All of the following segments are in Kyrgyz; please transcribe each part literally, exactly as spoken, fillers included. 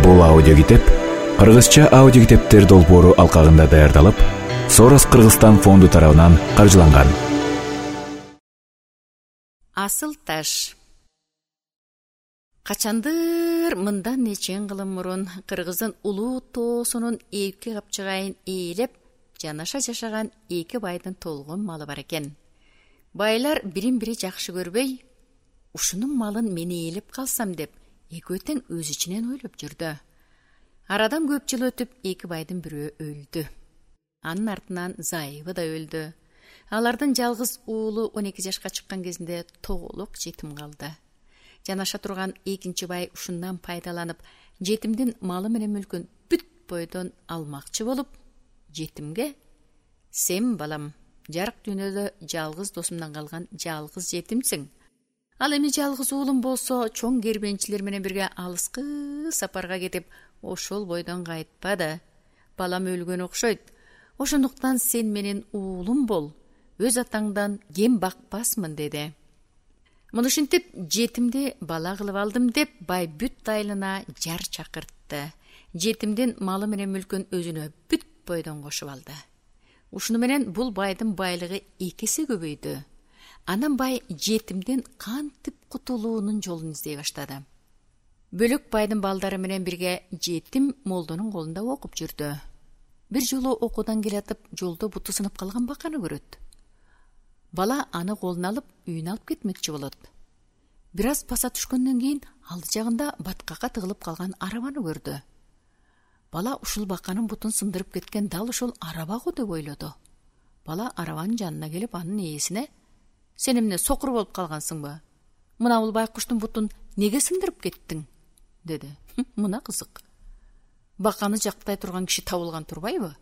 Бул аудиокитеп кыргызча аудиокитептер долбоору алкагында даярдалып, Сорос Кыргызстан фонду тарабынан каржыланган. Асыл таш. Качандыр мындан нечен кылым мурун Кыргыздын улуу тоосунун эки капчыгайын ээлеп, жанаша жашаган эки байдын толгон малы бар экен. Байлар бирин-бири жакшы көрбөй, ушунун малын мен ээлеп калсам деп, экөө тең өз ичинен ойлоп жүрдү. Арадан көп жыл өтүп, эки байдын бирөө өлдү. Анын артынан зайыбы да өлдү. Алардын жалгыз уулу он эки жашка чыккан кезинде тоголук жетим калды. Жанаша турган экинчи бай ушундан пайдаланып, жетимдин малы менен мүлкүн бүт бойдон алмакчы болуп, жетимге: "Сен балам, жарык дүйнөдө жалгыз досумдан калган жалгыз жетимсиң. Ал эми жалгыз уулум болсо, чоң кербенчилер менен бирге алыскы сапарга кетип, ошол бойдон кайтпады. Балам өлгөн окшойт. Ошондуктан сен менин уулум бол. Өз атаңдан кем бакпасмын" деди. Муну ушинтип, жетимди бала кылып алдым деп, бай бүт айылына жар чакыртты. Жетимдин малы менен мүлкүн өзүнө бүт бойдон кошуп алды. Ушуну менен бул байдын байлыгы эки эсе көбөйдү. Анан бай жетимдин кантип кутулуунун жолун издей баштады. Бөлөк байдын балдары менен бирге жетим молдонун колунда окуп жүрдү. Бир жолу окуудан келатып, жолдо буту сынып калган баканы көрөт. Бала аны колуна алып, үйүнө алып кетмекчи болот. Бир аз баса түшкөндөн кийин алды жагында баткакка тыгылып калган арабаны көрдү. Бала ушул баканын бутун сындырып кеткен дал ушул араба го деп ойлоду. Бала арабанын жанына келип, анын ээсине: "Сен эмне сокур болуп калгансыңбы? Мына бул байкуштун бутун неге сындырып кеттиң?" деди. "Мына кызык. Баканы жактай турган киши табылган турбайбы?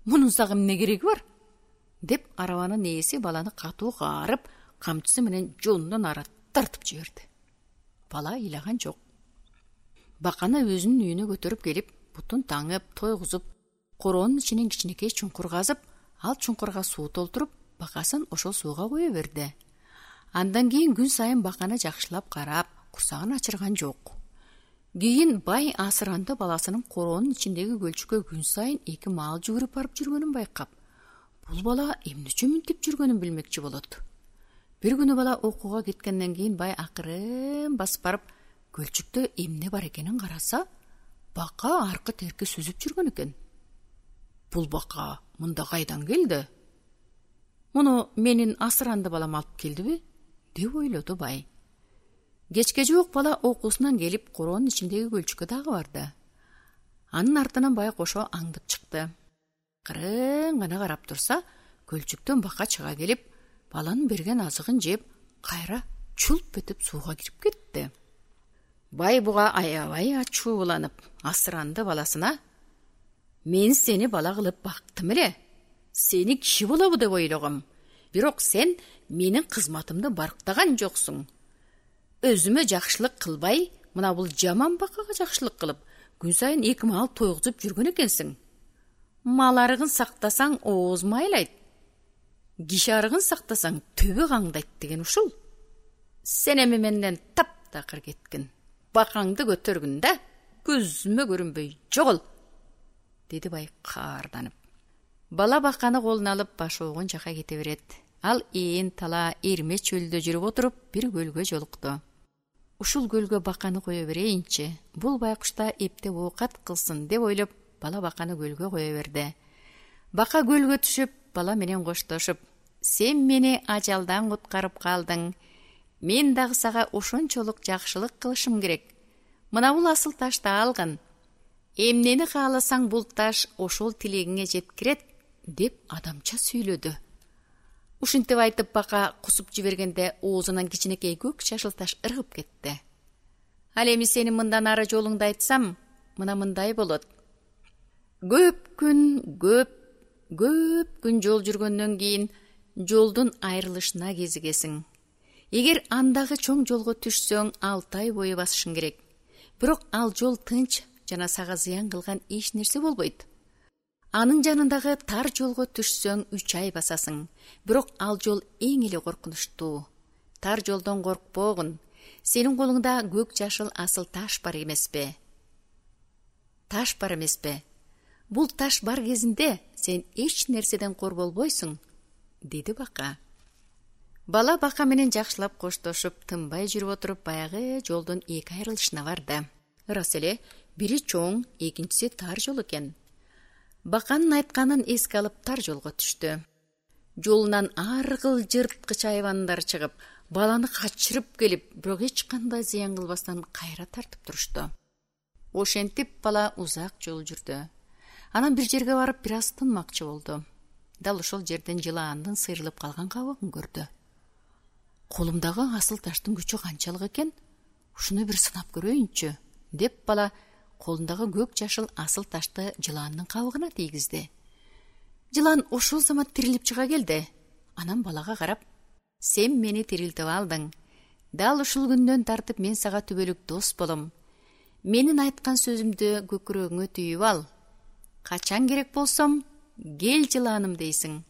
Мунун сага эмне кереги бар?" деп арабанын ээси баланы катуу каарып, камчысы менен жолундан ары тартып жиберди. Бала ыйлаган жок. Баканы өзүнүн үйүнө көтөрүп келип, бутун таңып, тойгузуп, короонун ичинен кичинекей чуңкур казып, ал чуңкурга суу толтуруп, бакасын ошол сууга кое берди. Андан кийин күн сайын баканы жакшылап карап, курсагын ачырган жок. Кийин бай асыранды баласынын короонун ичиндеги көлчүккө күн сайын эки маал жүгүрүп барып жүргөнүн байкап, бул бала эмне үчүн мынтип жүргөнүн билмекчи болот. Бир күнү бала окууга кеткенден кийин бай акырын басып барып, көлчүктө эмне бар экенин караса, бака аркы терки сүзүп жүргөн экен. Бул бака мында кайдан келди? Муну менин асыранды балам алып келдиби? деп ойлоду бай. Кечке жок бала окуусунан келип, короонун ичиндеги көлчүккө дагы барды. Анын артынан бай кошо аңдып чыкты. Кырын гана карап турса, көлчүктөн бака чыга келип, баланын берген азыгын жеп, кайра чулп этип сууга кирип кетти. Бай буга аябай ачууланып, асыранды баласына: "Мен сени бала кылып бактым эле. Сени киши болобу деп ойлогом. Бирок сен менин кызматымды барктаган жоксуң. Өзүмө жакшылык кылбай, мына бул жаман бакага жакшылык кылып, күн сайын эки маал тойгузуп жүргөн экенсиң. Мал арыгын сактасаң, ооз майлайт. Киши арыгын сактасаң, төбө каңдайт деген ушул. Сен эми менден таптакыр кеткин. Бакаңды көтөргүн да, көзүмө көрүнбөй жогол", деди бай каарданып. Бала баканы колуна алып, баш оогон жака кете берет. Ал ээн тала эрме чөлдө жүрүп отуруп, бир көлгө жолукту. Ушул көлгө баканы кое берейинчи, бул байкушта эптеп оокат кылсын деп ойлоп, бала баканы көлгө кое берди. Бака көлгө түшүп, бала менен коштошуп: "Сен мени ажалдан куткарып калдың. Мен дагы сага ошончолук жакшылык кылышым керек. Мына бул асыл ташты алгын. Эмнени кааласаң бул таш ошол тилегиңе жеткирет", деп адамча сүйлөдү. Ушинтип айтып, бака кусуп жибергенде оозунан кичинекей көк чашыл таш ыргып кетти. "Ал эми сенин мындан ары жолуңду айтсам, мына мындай болот. Көп күн, көп, көп күн жол жүргөндөн кийин жолдун айрылышына кезигесиң. Эгер андагы чоң жолго түшсөң, алты ай бою басышың керек. Бирок ал жол тынч жана сага зыян кылган эч нерсе болбойт. Анын жанындагы тар жолго түшсөң, үч ай басасың. Бирок ал жол эң эле коркунучтуу. Тар жолдон коркпогун. Сенин колуңда көк жашыл асыл таш бар эмеспи? таш бар эмеспи? Бул таш бар кезинде сен эч нерседен кор болбойсуң, деди бака. Бала бака менен жакшылап коштошуп, тынбай жүрүп отуруп, баягы жолдун эки айрылышына барды. Ырас эле, бири чоң, экинчиси тар жол экен. Баканын айтканын эске алып тар жолго түштү. Жолунан ар кыл жырткыч айвандар чыгып, баланы качырып келип, бирок эч кандай зыян кылбастан кайра тартып турушту. Ошентип бала узак жол жүрдү. Анан бир жерге барып, бир аз тынмакчы болду. Дал ошол жерден жылаандын сыйрылып калган кабыгын көрдү. Колумдагы асыл таштын күчү канчалык экен? Ушуну бир сынап көрөйүнчү, деп бала колундагы көк жашыл асыл ташты жылаандын кабыгына тийгизди. Жылан ошол замат тирилип чыга келди. Анан балага карап: "Сен мени тирилтип алдың. Дал ушул күндөн тартып мен сага түбөлүк дос болом. Менин айткан сөзүмдү көкүрөгүңө түйүп ал. Качан керек болсом, кел жылааным дейсиң.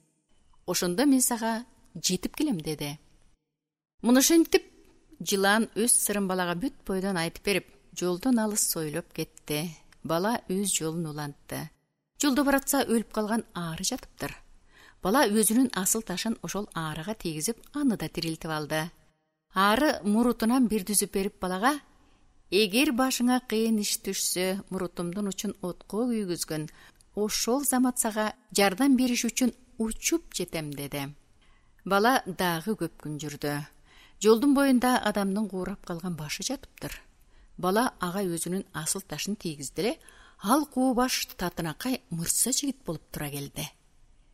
Ошондо мен сага жетип келем", деди. Мынушентип жылаан өз сырын балага бүт бойдон айтып берип, жолдон алыс сойлоп кетти. Бала өз жолун улантты. Жолдо баратса өлүп калган аары жатыптыр. Бала өзүнүн асыл ташын ошол аарыга тийгизип, аны да тирилтип алды. Аары мурутунан бир түзүп берип балага: "Эгер башыңа кыйын иш түшсө, мурутумдун учун отко күйгүзгүн. Ошол замат сага жардам бериш үчүн учуп жетем", деди. Бала дагы көп күн жүрдү. Жолдун боюнда адамдын куурап калган башы жатыптыр. Бала ага өзүнүн асыл ташын тийгизди эле, ал куу баш татынакай мырса жигит болуп тура келди.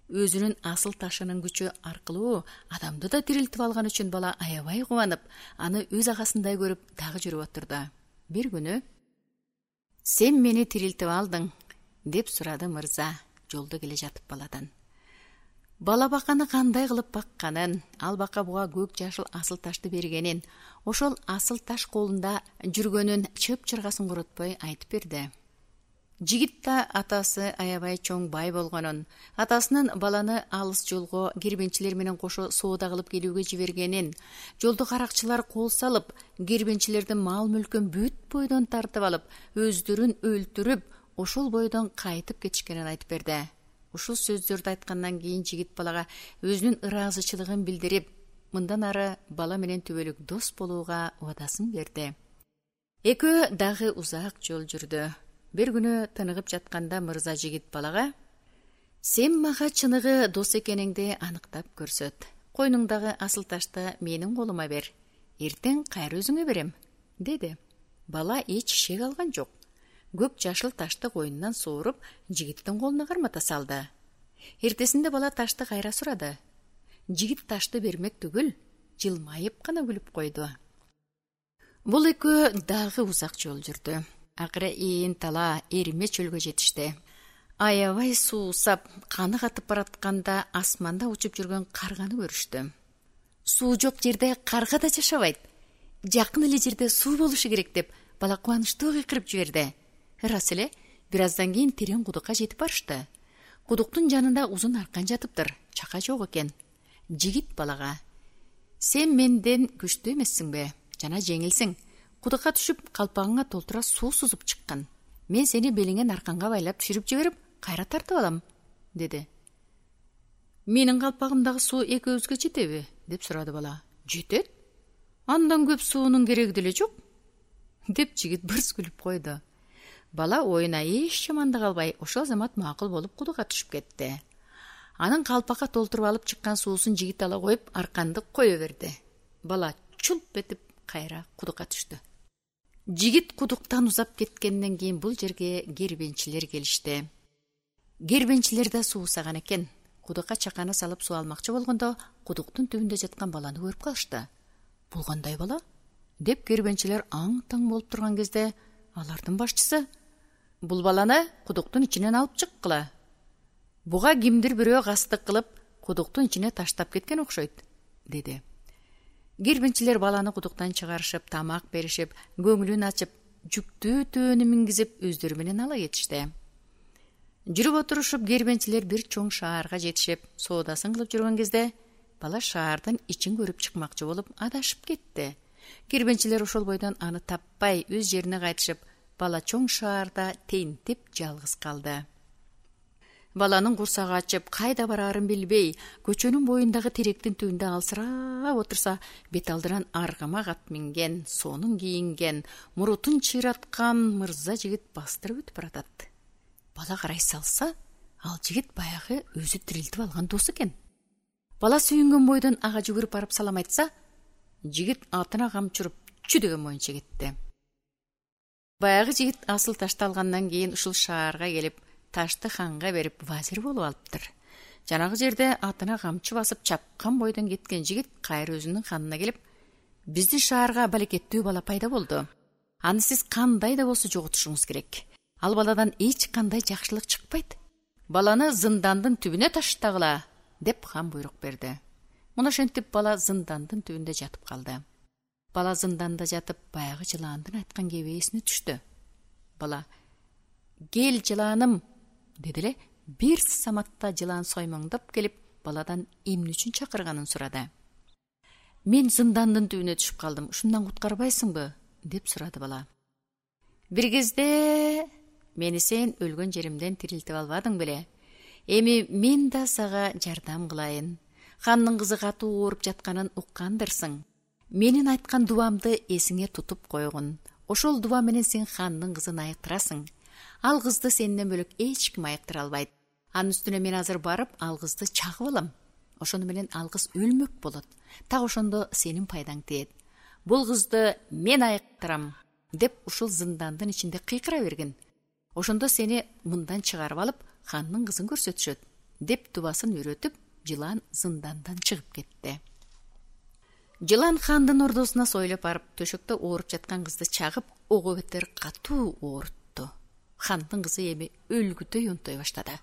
Өзүнүн асыл ташынын күчү аркылуу адамды да тирилтип алган үчүн бала аябай кубанып, аны өз агасындай көрүп дагы жүрүп отурду. Бир күнү: "Сен мени тирилтип алдың", деп сурады мырза, жолдо келе жатып баладан. Бала баканы кандай кылып бакканын, ал бака буга көк жашыл асыл ташты бергенин, ошол асыл таш колунда жүргөнүн чып-чыргасын коротпой айтып берди. Жигит да атасы аябай чоң бай болгонун, атасынын баланы алыс жолго кербенчилер менен кошо соода кылып келүүгө жибергенин, жолдо каракчылар кол салып, кербенчилердин мал-мүлкүн бүт бойдон тартып алып, өздөрүн өлтүрүп, ошол бойдон кайтып кетишкенин айтып берди. Ушул сөздөрдү айткандан кийин жигит балага өзүнүн ыраазычылыгын билдирип, мындан ары бала менен түбөлүк дос болууга убадасын берди. Экөө дагы узак жол жүрдү. Бир күнү тыныгып жатканда мырза жигит балага: "Сен мага чыныгы дос экениңди аныктап көрсөт. Койнуңдагы асыл ташты менин колума бер. Эртең кайра өзүңө берем", деди. Бала эч шек алган жок. Көк жашыл ташты койнунан сооруп, жигиттин колуна кармата салды. Эртесинде бала ташты кайра сурады. Жигит ташты бермек түгүл, жылмайып гана күлүп койду. Бул экөө дагы узак жол жүрдү. Акыры ээн тала эриме чөлгө жетишти. Аябай суусап, каны катып баратканда асманда учуп жүргөн карганы көрүштү. Суу жок жерде карга да жашабайт. Жакын эле жерде суу болушу керек деп бала кубанычтуу кыйкырып жиберди. Ырас эле, бир аздан кийин терең кудукка жетип барышты. Кудуктун жанында узун аркан жатыптыр, чака жок экен. Жигит балага: "Сен менден күчтүү эмессиңби? Жана жеңилсиң. Кудукка түшүп, калпагыңа толтура суу сузуп чыккан. Мен сени белиңен арканга байлап түшүрүп жиберип, кайра тартып алам", деди. "Менин калпагымдагы суу экөөбүзгө жетеби?" деп сурады бала. "Жетет. Андан көп суунун кереги деле жок", деп жигит бырс күлүп койду. Бала оюна эч жамандык албай, ошол замат макул болуп кудукка түшүп кетти. Анын калпакка толтуруп алып чыккан суусун жигит ала коюп, арканды кое берди. Бала чулп этип кайра кудукка түштү. Жигит кудуктан узап кеткенден кийин бул жерге кербенчилер келишти. Кербенчилер да суусаган экен. Кудукка чаканы салып суу алмакчы болгондо, кудуктун түбүндө жаткан баланы көрүп калышты. "Бул кандай бала?" деп кербенчилер аң-таң болуп турган кезде, алардын башчысы: "Бул баланы кудуктун ичинен алып чыккыла. Буга кимдир бирөө кастык кылып, кудуктун ичине таштап кеткен окшойт", деди. Кербенчилер баланы кудуктан чыгарышып, тамак беришип, көңүлүн ачып, жүктүү төөнү мингизип, өздөрү менен ала кетишти. Жүрүп отурушуп, кербенчилер бир чоң шаарга жетишип, соодасын кылып жүргөн кезде, бала шаардын ичин көрүп чыкмакчы болуп адашып кетти. Кербенчилер ошол бойдон аны таппай, өз жерине кайтышып, бала чоң шаарда тентип жалгыз калды. Баланын курсагы ачып, кайда бараарын билбей, көчөнүн боюндагы теректин түбүндө алсырап отурса, бет алдынан аргамак ат минген, сонун кийинген, мурутун чыйраткан мырза жигит бастырып өтүп баратат. Бала карай салса, ал жигит баягы өзү тирилтип алган досу экен. Бала сүйүнгөн бойдон ага жүгүрүп барып салам айтса, жигит атына камчырып чү деген моюнча кетти. Баягы жигит асыл ташты алгандан кийин ушул шаарга келип, ташты ханга берип вазир болуп алыптыр. Жанагы жерде атына камчы басып чапкан бойдон кеткен жигит кайра өзүнүн ханына келип, биздин шаарга балекеттүү бала пайда болду. Аны сиз кандай да болсо жоготушуңуз керек. Ал баладан эч кандай жакшылык чыкпайт. Баланы зындандын түбүнө таштагыла, деп хан буйрук берди. Муну ошентип бала зындандын түбүндө жатып калды. Бала зынданда жатып, баягы жылаандын айткан кебесине түштү. Бала: "Кел, жылааным", деди эле, бир саматта жылаан соймоңдоп келип, баладан эмне үчүн чакырганын сурады. "Мен зындандын түбүнө түшүп калдым, ушундан куткарбайсыңбы?" деп сурады бала. "Бир кезде мени сен өлгөн жеримден тирилтип албадың беле? Эми мен да сага жардам кылайын. Хандын кызы катуу ооруп жатканын уккандырсың. Менин айткан дубамды эсиңе тутуп койгун. Ошол дуба менен сен хандын кызын айыктырасың. Ал кызды сенден бөлөк эч ким айыктыра албайт. Анын үстүнө мен азыр барып, ал кызды чагып алам. Ошону менен ал кыз өлмөк болот. Так ошондо сенин пайдаң тиет. Бул кызды мен айыктырам", деп ушул зындандын ичинде кыйкыра бергин. "Ошондо сени мындан чыгарып алып, хандын кызын көрсөтүшөт", деп дубасын үйрөтүп, жылаан зындандан чыгып кетти. Жылаан хандын ордосуна сойлоп барып, төшөктө ооруп жаткан кызды чагып, ого бетер катуу оорутtu. Хандын кызы эми өлгүдөй унтой баштады.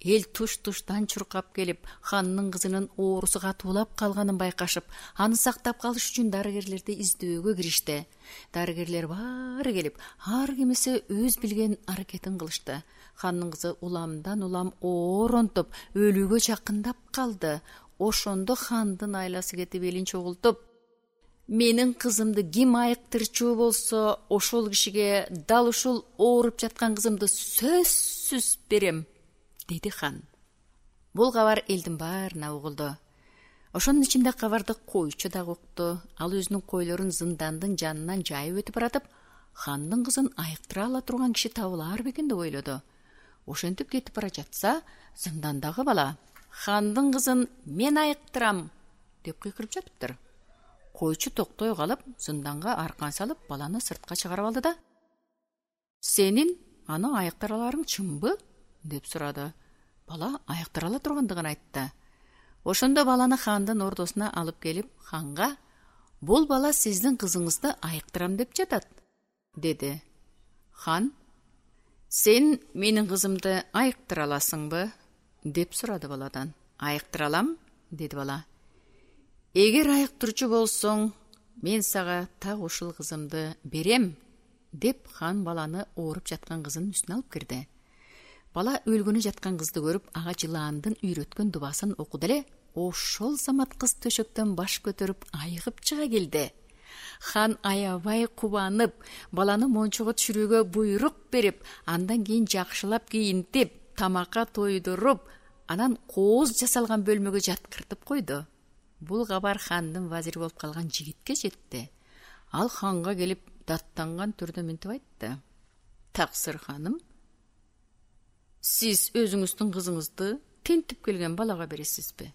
Эл туш-туштан чуркап келип, хандын кызынын оорусу катуулап калганын байкашып, аны сактап калыш үчүн дарыгерлерди издөөгө киришти. Дарыгерлер баары келип, ар кимиси өз билген аракетин кылышты. Хандын кызы уламдан улам ооронтуп, өлүүгө жакындап калды. Ошондо хандын айласы кетип элин чогултуп: "Менин кызымды ким айыктырчу болсо, ошол кишиге дал ушул ооруп жаткан кызымды сөзсүз берем", деди хан. Бул кабар элдин баарына угулду. Ошонун ичинде кабарды койчу да укту. Ал өзүнүн койлорун зындандын жанынан жайып өтүп баратып, хандын кызын айыктыра ала турган киши табылар бекен деп ойлоду. Ошентип кетип бара жатса, зындандагы бала: "Хандын кызын мен айыктырам", деп кыйкырып жатыптыр. Койчу токтой калып, зынданга аркан салып, баланы сыртка чыгарып алды да: "Сенин аны айыктыра аларың чынбы?" деп сурады. Бала айыктыра ала тургандыгын айтты. Ошондо баланы хандын ордосуна алып келип, ханга: "Бул бала сиздин кызыңызды айыктырам деп жатат", деди. Хан: "Сен менин кызымды айыктыра аласыңбы?" деп сурады баладан. "Айыктыра алам", деди бала. "Эгер айыктырчу болсоң, мен сага так ушул кызымды берем", деп хан баланы ооруп жаткан кызынын үстүнө алып кирди. Бала өлгөнү жаткан кызды көрүп, ага жылаандын үйрөткөн дубасын окуду эле, ошол замат кыз төшөктөн баш көтөрүп айыгып чыга келди. Хан аябай кубанып, баланы мончого түшүрүүгө буйрук берип, андан кийин жакшылап кийинтип, тамакка тойдуруп, анан кооз жасалган бөлмөгө жаткыртып койду. Бул кабар хандын вазири болуп калган жигитке жетти. Ал ханга келип, даттанган түрдө мынтип айтты: "Таксыр ханым, сиз өзүңүздүн кызыңызды тентип келген балага бересизби?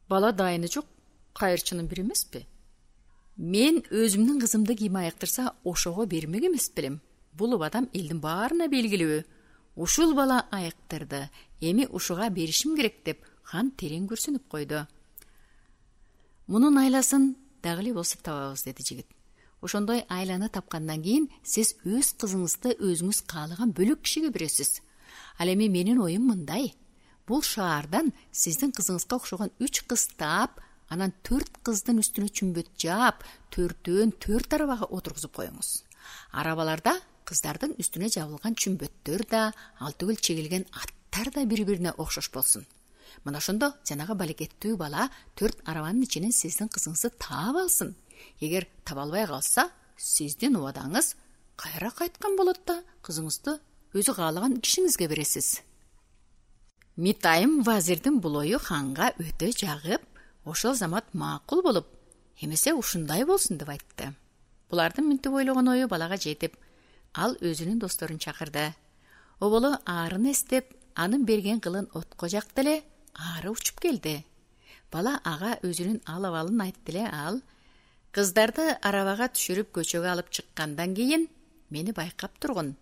Бала дайыны жок, кайырчынын бири эмеспи? Мен өзүмдүн кызымды ким айыктырса, ошого бермек эмес белем. Бул убадам элдин баарына белгилүү. Ушул бала айыктырды, эми ушуга беришим керек", деп хан терең күрсүнүп койду. "Мунун айласын дагы эле болсо табабыз", деди жигит. "Ошондой айланы тапкандан кийин сиз өз кызыңызды өзүңүз каалаган бөлөк кишиге бересиз. Ал эми менин оюм мындай: бул шаардан сиздин кызыңызга окшогон үч кыз таап, анан төрт кыздын үстүнө чүмбөт жаап, төртөөн төрт арабага отургузуп коюңуз. Арабаларда кыздардын үстүнө жабылган чүмбөттөр да, ал түгүл чегилген аттар да бири-бирине окшош болсун. Мына ошондо жанагы балекеттүү бала төрт арабанын ичинен сиздин кызыңызды таап алсын. Эгер таба албай калса, сиздин убадаңыз кайра кайткан болот да кызыңызды өзү каалаган кишиңизге бересиз. Митайым вазирдин бул ою ханга өтө жагып, ошол замат макул болуп, эмесе ушундай болсун деп айтты. Булардын мынтип ойлогон ою балага жетип, ал өзүнүн досторун чакырды. Оболу арын эстеп, анын берген кылын отко жакты эле ары учуп келди. Бала ага өзүнүн ал абалын айтты эле. Ал кыздарды арабага түшүрүп көчөгө алып чыккандан кийин мени байкап тургун.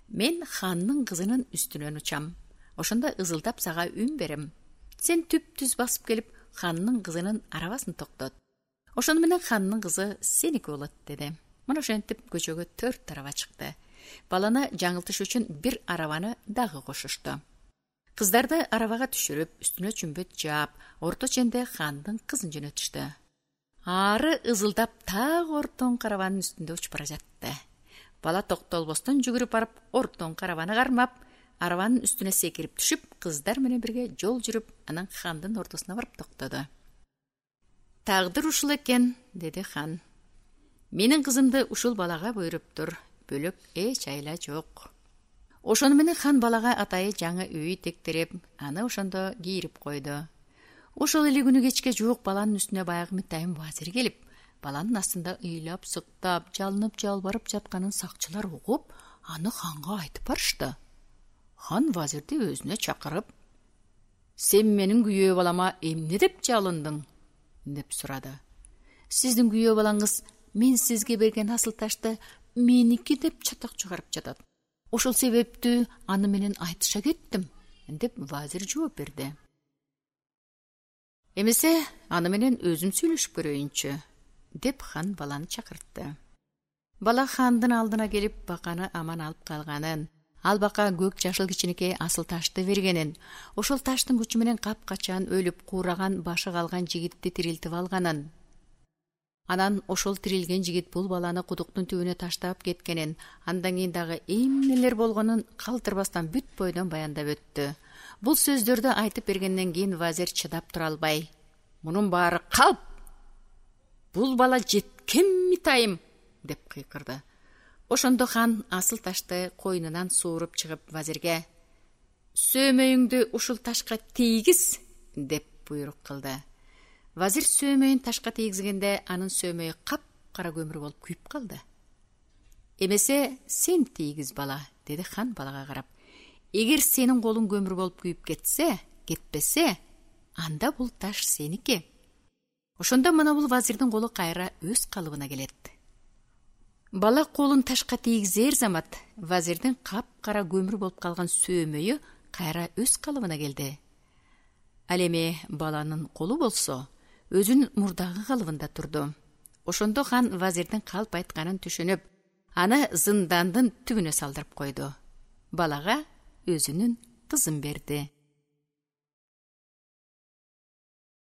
Мен ханнын кызынын үстүнөн учам. Ошондо ызылдап сага үн берем. Сен түп-түз басып келип, ханнын кызынын арабасын токтот. Ошону менен ханнын кызы сеники болот деди. Мына ошентип көчөгө төрт араба чыкты. Баланы жаңылтыш үчүн бир арабаны дагы кошушту. Кыздарды арабага түшүрүп, үстүнө чүмбөт жаап, орто ченде хандын кызын жөнөтүштү. Ары ызылдап так ортон карабанын үстүндө учуп бара жатты. Бала токтолбостон жүгүрүп барып, ортон карабаны кармап, арабанын үстүнө секирип түшүп, кыздар менен бирге жол жүрүп, анан хандын ортосуна барып токтоду. Тагдыр ушул экен, деди хан. Менин кызымды ушул балага буйруптур. Бөлөк эч айла жок. Ошону менен хан балага атайы жаңы үй тектирип, аны ошондо кийирип койду. Ошол эле күнү кечке жуук баланын үстүнө баягы Митайым вазир келип, баланын астында ыйлап, сыктап, жалынып, жалбарып жатканын сакчылар угуп, аны ханга айтып барышты. Хан вазирди өзүнө чакырып, "Сен менин күйөө балама эмне деп жалындың?" деп сурады. "Сиздин күйөө балаңыз мен сизге берген асыл ташты меники деп чатак чыгарып жатат. Ошол себептүү аны менен айтыша кеттим" деп вазир жооп берди. "Эмесе аны менен өзүм сүйлөшүп көрөйүнчү" деп хан баланы чакыртты. Бала хандын алдына келип баканы аман алып калганын, ал бака көк жашыл кичинекей асыл ташты бергенин, ошол таштын күчү менен капкачан өлүп куураган башы калган жигитти тирилтип алганын, анан ошол тирилген жигит бул баланы кудуктун түбүнө таштап кеткенин, андан кийин дагы эмнелер болгонун калтырбастан бүт бойдон баяндап өттү. Бул сөздөрдү айтып бергенден кийин вазир чыдап тура албай, "Мунун баары калп! Бул бала жеткен Митайым!" деп кыйкырды. Ошондо хан асыл ташты койнунан сууруп чыгып вазирге "Сөөмөйүңдү ушул ташка тийгиз" деп буйрук кылды. Вазир сөөмөйүн ташка тийгизгенде анын сөөмөйү кап-кара көмүр болуп күйүп калды. "Эмесе сен тийгиз бала" деди хан балага карап. "Эгер сенин колуң көмүр болуп күйүп кетсе, кетпесе, анда бул таш сеники." Ошондо мына бул вазирдин колу кайра өз калыбына келет. Бала колун ташка тийгизер замат вазирдин кап-кара көмүр болуп калган сөөмөйү кайра өз калыбына келди. Ал эми баланын колу болсо өзүнүн мурдагы калыбында турду. Ошондо хан вазирдин калп айтканын түшүнүп, аны зындандын түбүнө салдырып койду. Балага өзүнүн кызын берди.